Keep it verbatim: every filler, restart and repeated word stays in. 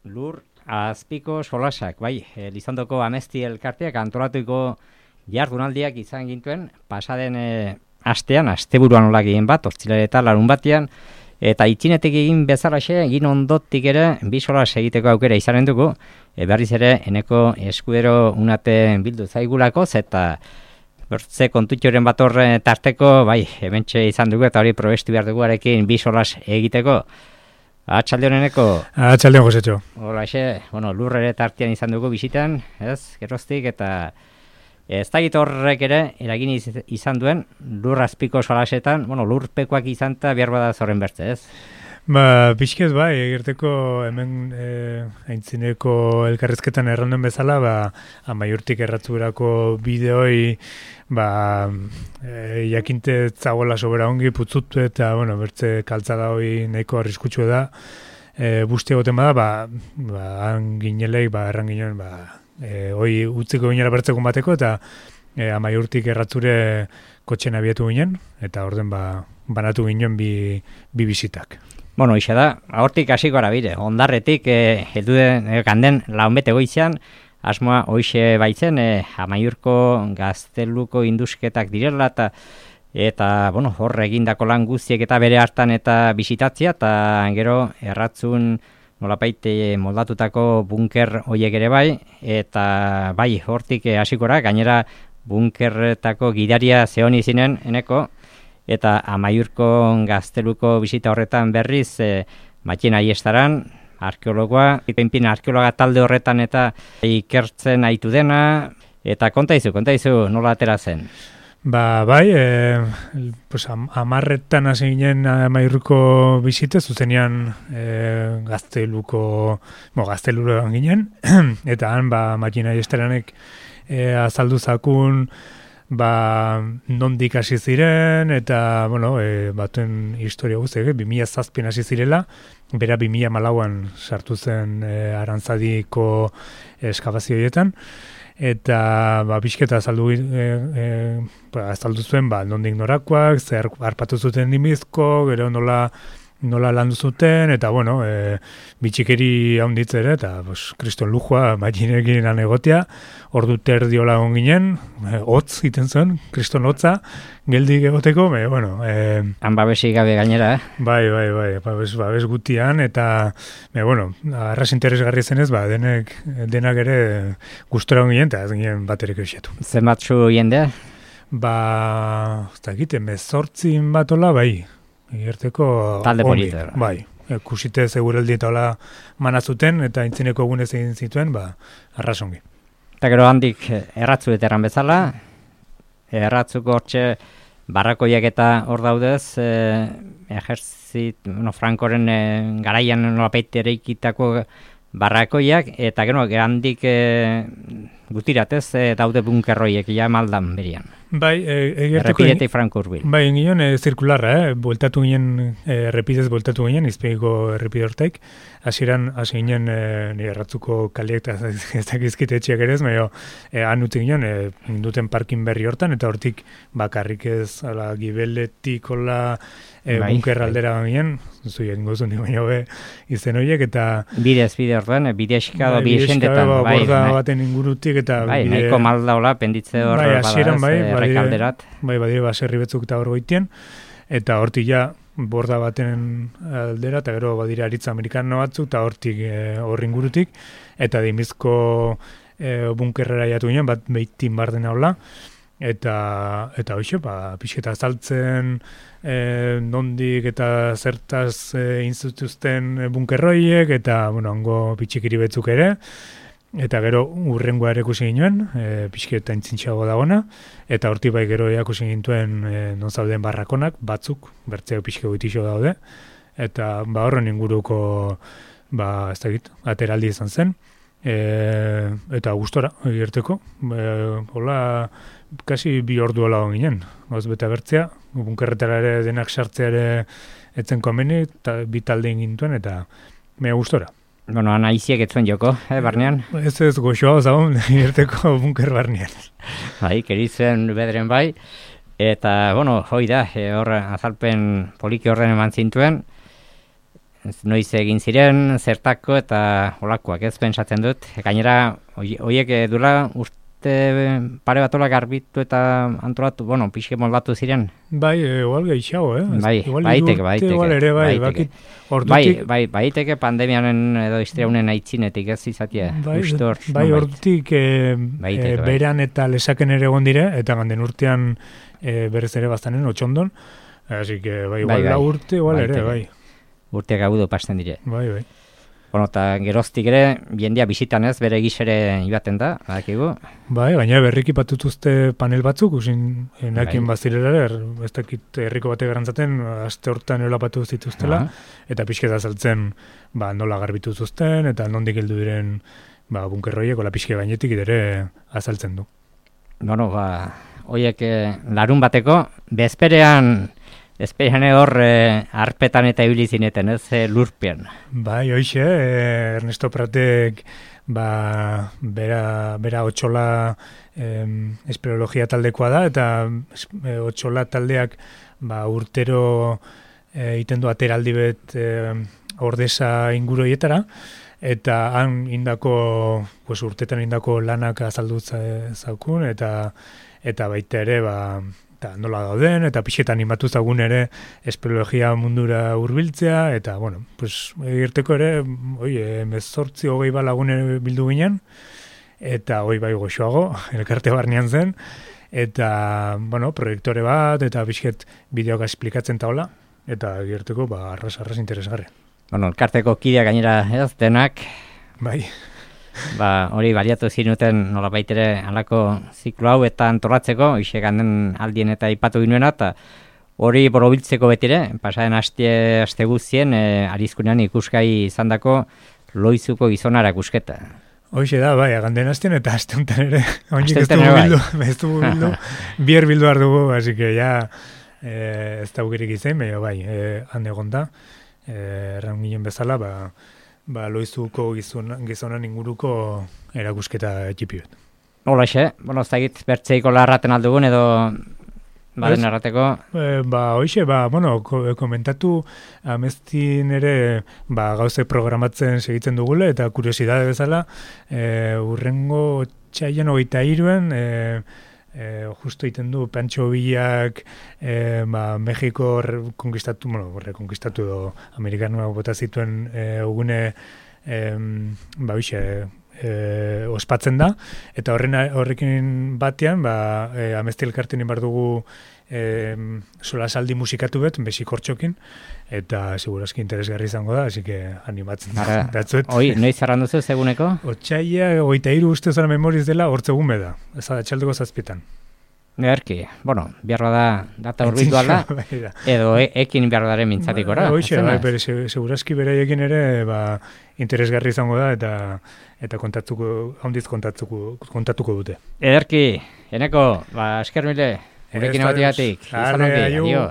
lur azpiko solasak, bai, Elizondoko Amesti elkarteak antolatuko jardunaldiak izan gintuen, pasaden e, astean, asteburuan olak egin bat, ostzilera eta larun batean, eta itxinetik egin bezalaxe, egin ondotik ere, bi solas egiteko aukera izanen dugu, e, berriz ere, eneko eskudero unate bildu zaigulako, eta bertze kontutxoren bat horre tarteko, bai, hementxe izan dugu, eta hori probestu behar dugu arekin bi solas egiteko. Atxaldeon eneko? Atxaldeon, Josetxo. Hola, xe, bueno, lurrere tartean izan dugu bisitan, ez, geroztik, eta ez dakit horrek ere, eragin izan duen, lur azpiko solasetan, bueno, lurpekoak izan eta behar bada zorren bertze, ez? Ba, pixkez bai, egerteko hemen e, aintzineko elkarrizketan erranduen bezala, ba, Amaiurtik erratzurako bideoi, ba, e, jakinte zagoela sobera ongi putzutu eta, bueno, bertze kaltzada hoi nahiko arriskutsu da, e, busti egoten bada, ba, ba, han ginelek, ba, erran ginen, ba, e, hoi utziko ginela bertzekun bateko, eta e, Amaiurtik erratzure kotxen abietu ginen, eta orden, ba, banatu ginen bi, bi bisitak. Bueno, ixe da, hortik hasiko gara bire, ondarretik, eh, heldu den, eh, ganden launbete goizean, asmoa hoixe baitzen, eh, Amaiurko gazteluko indusketak direla, eta, eta bueno, hor egindako lan guztiek eta bere hartan eta bisitatzea, eta gero erratzun nolapaite moldatutako bunker hoiek ere bai, eta bai, hortik hasiko gara, gainera bunkerretako gidaria zehoni zinen, eneko, eta Amaiurko gazteluko bisita horretan berriz, e, Matxin Aiestaran, arkeologoa, ipenpin arkeologa talde horretan eta ikertzen aitu dena, eta kontaizu, kontaizu nola atera zen? Ba, bai, e, pues, am, amarretan hasi ginen Amaiurko bisite, zuzenean e, gazteluko, bo, gazteluko ginen, eta han, ba, Matxin Aiestaranek e, azaldu zakun, ba, nondik hasi ziren, eta, bueno, e, batuen historia guztiak, bi mila zazpian hasi zirela, bera bi mila malauan sartu zen e, Arantzadiko eskabazioietan, eta, ba, pixketa azaldu, e, e, ba, azaldu zuen, ba, nondik norakoak, zer harpatu zuten dimizko, gero nola, nola landu zuten, eta, bueno, e, bitxikeri haunditze ere, eta, pues, kriston lujua, Matxinekin lan egotea, ordu terdiola on ginen, e, hotz iten zen, kriston hotza, geldik egoteko, me, bueno... E, Han babesik gabe gainera, eh? Bai, bai, bai, babes, babes gutian, eta, me, bueno, arras interesgarri zenez, ba, denek, denak ere gustora on ginen, eta ez ginen baterik eusietu. Zenbatzu jendea? Ba, ez da egiten, bezortzin bat ola, bai, egerteko talde polita. Bai, kusite seguraldi eta hola manazuten, eta intzineko egunez egin zituen, ba, arrasongi. Eta gero handik erratzu eteran bezala, erratzuko hortxe barrakoiak eta hor daudez, eh, ejerzit, bueno, Frankoren eh, garaian nolapeit ereikitako barrakoiak, eta gero handik eh, gutiratez eh, daude bunkerroiek, ja maldan berian. Bai, egerteko... Errepidetik Franko urbil. Bai, ginen e, zirkularra, eh? Bueltatu ginen, e, errepidez bueltatu ginen, izpeiko errepide hortaik. Hasieran hasi ginen, e, nire erratzuko kaleak eta ez dakizkite etxeak ere ez, baina e, han utzi ginen, e, duten parkin berri hortan, eta hortik bakarrik ez, ala, gibeletik, hola, e, bai, bunker aldera bai. Ginen, zuien gozu nik baina be izen horiek, eta... Bidez, bide hortan, bidezka bai, bide esendetan. Bai, borda bai, baten ingurutik, eta... Bai, bide... nahiko malda hola, penditze hor bai, hasieran, bai, errekalderat. Bai, badire baserri betzuk eta hor goitien, eta hortik ja borda baten aldera, eta gero badire aritza amerikano batzuk, eta hortik e, hor ingurutik, eta dimizko e, bunkerrera jatu ginen, bat behitin barden haula, eta eta hoxe, ba, pixketa azaltzen, e, nondik eta zertaz e, inzutuzten bunkerroiek, eta, bueno, hango pitxikiri betzuk ere, eta gero urrengoa ere ikusi ginen, e, pixketa intzintxago dagona, eta horti bai gero ikusi gintuen e, non zauden barrakonak, batzuk, bertzeo pixke goitixo daude, eta ba horren inguruko, ba, ez dakit, ateraldi izan zen, e, eta gustora, egerteko, e, hola, kasi bi ordu hola ginen, gauz bete bertzea, bunkerretara ere denak sartzea ere etzen komeni, eta bi talde gintuen, eta mea gustora. Bueno, anaiziek etzuen joko, eh, barnean? Ez ez goxoa zaun, irteko bunker barnean. Bai, keritzen bedren bai, eta, bueno, hoi da, e, hor azalpen poliki horren eman zintuen, noiz egin ziren, zertako eta olakoak ez pentsatzen dut. Gainera, horiek dula urte pare batola garbitu eta antolatu, bueno, pixke moldatu ziren. Bai, igual gehiago, eh? Bai, baiteke, baiteke. Igual ere, bai, bakit, ordutik... Bai, bai, baiteke pandemianen edo histriaunen aitzinetik ez izatea. Bai, bai, ordutik e, e, beran eta lesaken ere egon dire, eta ganden urtean e, berez ere bastanen, otxondon. Así que, bai, igual da urte, igual ere, bai. Urteak agudo pasten dire. Bai, bai. Bueno, eta geroztik ere, jendia bisitan ez, bere gizere ibaten da, badakigu. Bai, gaina berriki patutuzte panel batzuk, usin, enakin bai. Bazirela, er, ez dakit herriko bate garantzaten, aste hortan eola patu zituztela, uh-huh. eta pixketa saltzen, ba, nola garbitu zuzten, eta nondik heldu diren, ba, bunkerroiek, ola pixke gainetik ere azaltzen du. Bueno, ba, hoiek larun bateko, bezperean, Ezperan hor eh, arpetan eta ibili zineten, ez eh, lurpean. Bai, hoxe, eh, Ernesto Pratek ba, bera, bera otxola eh, espeleologia taldekoa da, eta eh, otxola taldeak ba, urtero eh, iten du ateraldi bet eh, ordesa inguroietara, eta han indako, pues, urtetan indako lanak azaldutza zaukun, eta, eta baita ere, ba, eta nola dauden, eta pixetan animatu zagun ere espeleologia mundura hurbiltzea, eta, bueno, pues, egirteko ere, oi, mezortzi hogei balagune bildu ginen, eta hoi bai goxoago, elkarte barnean zen, eta, bueno, proiektore bat, eta pixet bideoak esplikatzen taola, eta egirteko, ba, arras-arras interesgarri. Bueno, elkarteko kidea gainera ez denak, bai, ba, hori baliatu zinuten nola baitere alako ziklo hau eta antolatzeko, hoxe ganden aldien eta ipatu ginuena, eta hori borobiltzeko betire, pasaren aste, aste guztien, e, arizkunean ikuskai izan dako loizuko gizonara kusketa. Hoxe da, bai, ganden astean eta aste honetan ere, oinik ez dugu bildu, ez dugu bildu, bier bildu behar dugu, así que ya e, ez da ugerik izan, baina bai, e, hande egon da, e, erran ginen bezala, ba, ba, loizuko gizonan, gizonan inguruko erakusketa txipi bet. Hola, xe, bueno, ez da egit bertzeiko larraten aldugun edo baden errateko? E, ba, hoxe, ba, bueno, ko, komentatu amestin ere ba, gauze programatzen segitzen dugule, eta kuriosidade bezala, e, urrengo txaian hogeita iruen, e, E, justo iten du Pancho Villak e, ba, Mexiko konkistatu, bueno, rekonkistatu edo amerikanoak bota zituen e, ugune e, ba, bixe, e, ospatzen da, eta horren horrekin batean ba, e, amesti elkarten inbar dugu e, solasaldi musikatu bet, besikortxokin, eta segurazki interesgarri izango da, así que animatzen datzuet. Oi, noiz zarran duzu, seguneko? Otsaia, oita iru uste zara memoriz dela, hortzegun beda, ez da, txaldeko zazpietan. Erki, bueno, biarra da data urbitu alda, edo e, ekin biarra daren mintzatikora. Ba, Hoxe, bai, bere, segurazki beraiekin ere, ba, interesgarri izango da, eta eta kontatuko, handiz kontatuko, kontatuko dute. Ederki, eneko, ba, esker mile, gurekin abatigatik. Arre, aio.